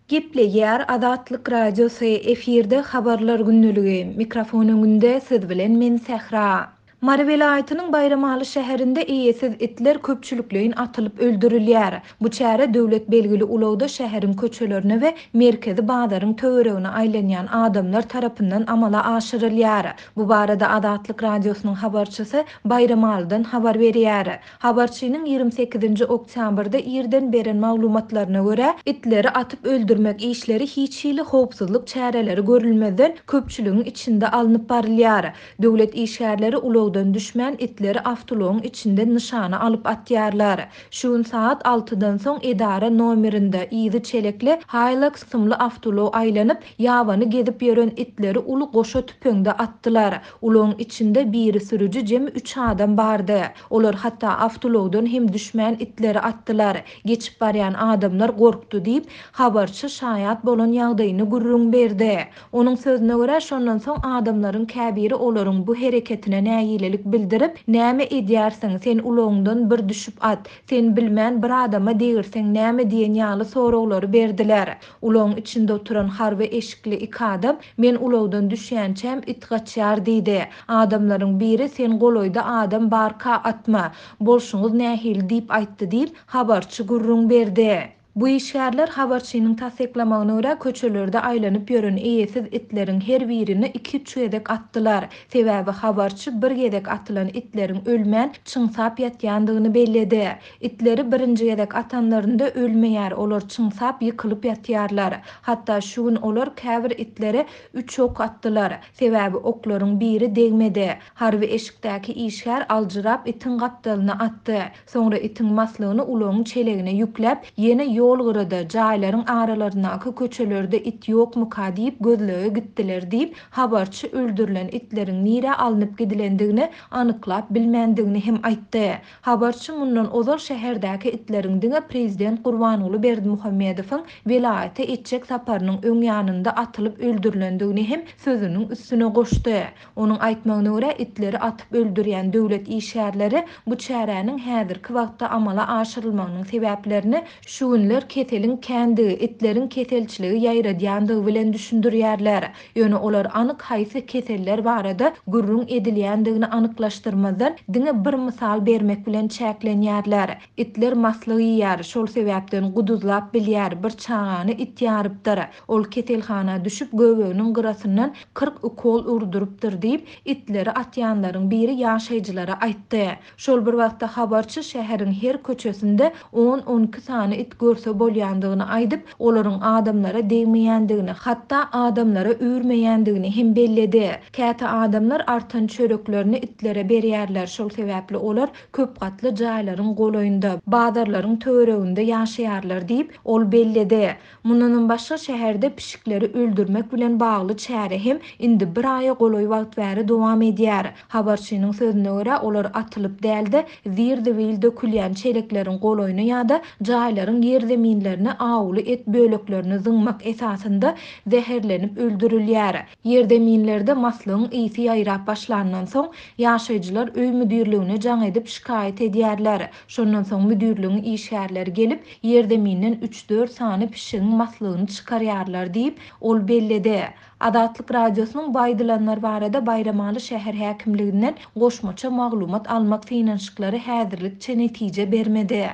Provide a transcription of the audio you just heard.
Gepleýär Azatlyk Radiosy, efirde Habarlar gündeligi, mikrofon öňünde siz bilen men Sähra. Mary welaýatynyň Baýramaly şäherinde eýesiz itler köpçülikleýin atylyp öldürilýär. Bu çäre döwlet belgili ulagda şäheriň köçelerine we merkezi bazaryň töweregine aýlanýan adamlar tarapyndan amala aşyrylýar. Bu barada Azatlyk Radiosynyň habarçysy Baýramalydan habar berýär. Habarçynyň 28-nji oktýabrda irden beren maglumatlaryna görä, itleri atyp öldürmek işleri hiç hili howpsuzlyk çäreleri görülmezden, köpçüligiň içinde alnyp barylýar. Döwlet işgärleri ulagdan düşmän, itleri awtoulagyň içinden nyşana alyp atýarlar. Şu gün sagat altydan soň edara nomerinde, yzy çelekli Hilux kysymly awtoulag aýlanyp, ýabany gezip ýören itleri uly goşa tüpeňde atdylar. Ulagyň içinde biri sürüji jemi üç adam bardy. Olar hatda awtoulagdan hem düşmän itleri atdylar. Geçip barýan adamlar gorkdy diýip, habarçy şaýat bolan ýagdaýyny gürrüň berdi. Onuň sözüne görä, şondan soň adamlaryň käbiri olaryň bu hereketine nägilelik bildirip, Näme edýärsiň, sen ulagyňdan bir düşüp at, sen bilmän bir adama degirseň näme diýen ýaly soraglary berdiler. Ulagyň içinde oturan harby eşikli iki adam, Men ulagdan düşýänçäm it gaçýar diýdi. Adamlaryň biri sen golaýda adam barka atma, bolşuňyz nähili diýip aýtdy diýip, habarçy gürrüň berdi. Bu işgärler habarçynyň tassyklamagyna görä, köçelerde aýlanyp ýören eýesiz itleriň her birini iki-üç gezek atdylar. Sebäbi habarçy bir gezek atylan itleriň ölmän, çyňsap ýatýandygyny belledi. Itleri birinji gezek atanlarynda ölmeýär, olar çyňsap ýykylyp ýatýarlar. Hatda şu gün olar käbir itlere üç ok atdylar. Sebäbi oklaryň biri degmedi. Harby eşikdäki işgär aljyrap itiň gapdalyna atdy. Soňra itiň maslygyny ulagyň çelegine ýükläp, ýene ýol gyrada, jaýlaryň aralaryndaky köçelerde it ýokmuka diýip gözlege gitdiler diýip, habarçy öldürilen itleriň nirä alnyp gidilendigini anyklap bilmändigini hem aýtdy. Habarçy mundan ozal şäherdäki itleriň diňe prezident Gurbanguly Berdimuhamedowyň welaýata etjek saparynyň öň ýanynda atylyp öldürilendigini hem sözüniň üstüne goşdy. Onuň aýtmagyna görä, itleri atyp öldürýän döwlet işgärleri bu çäräniň häzirki wagtda amala aşyrylmagynyň sebäplerini şu günler keseliň kändigi, itleriň keselçiligi ýaýradýandygy bilen düşündirýärler. Ýöne olar anyk haýsy keseller barada gürrüň edilýändigini anyklaşdyrmazdan, diňe bir mysal bermek bilen çäklenýärler. Itler maslyk iýýär, şol sebäpden guduzlap bilýär, bir çagany it ýarypdyr. Ol keselhana düşüp, göbeginiň gyrasyndan 40 ukol urdurypdyr diýip, itleri atýanlaryň biri ýaşaýjylara aýtdy. Şol bir wagtda habarçy şäheriň her köçesinde on-on iki sany it görse bolýandygyny aýdyp, olaryň adamlara degmeýändigini, hatda adamlara üýrmeýändigini hem belledi. Käte adamlar artan çöreklerini itlere berýärler, şol sebäpli olar köp gatly jaýlaryň golaýynda, bazarlaryň töwereginde ýaşaýarlar diýip, ol belledi. Mundanam başga, şäherde pişikleri öldürmek bilen bagly çäre hem indi bir aýa golaý wagt bäri dowam edýär. Habarçynyň sözüne görä, olar atylyp däl-de, zir-zibil dökülýän çelekleriň golaýyna ýa-da jaýlaryň ýerzeminlerine awuly et böleklerini zyňmak esasynda zäherlenip öldürilýär. Ýerzeminlerde maslygyň ysy ýaýrap başlandan soň, ýaşaýjylar öý müdirligine jaň edip şikaýat edýärler. Şondan soň müdirligiň işgärleri gelip, ýerzeminden üç-dört sany pişigiň maslygyny çykarýarlar diýip, ol belledi. Azatlyk Radiosynyň bu aýdylanlar barada Baýramaly şäher häkimliginden goşmaça maglumat almak synanyşyklary häzirlikçe netije bermedi.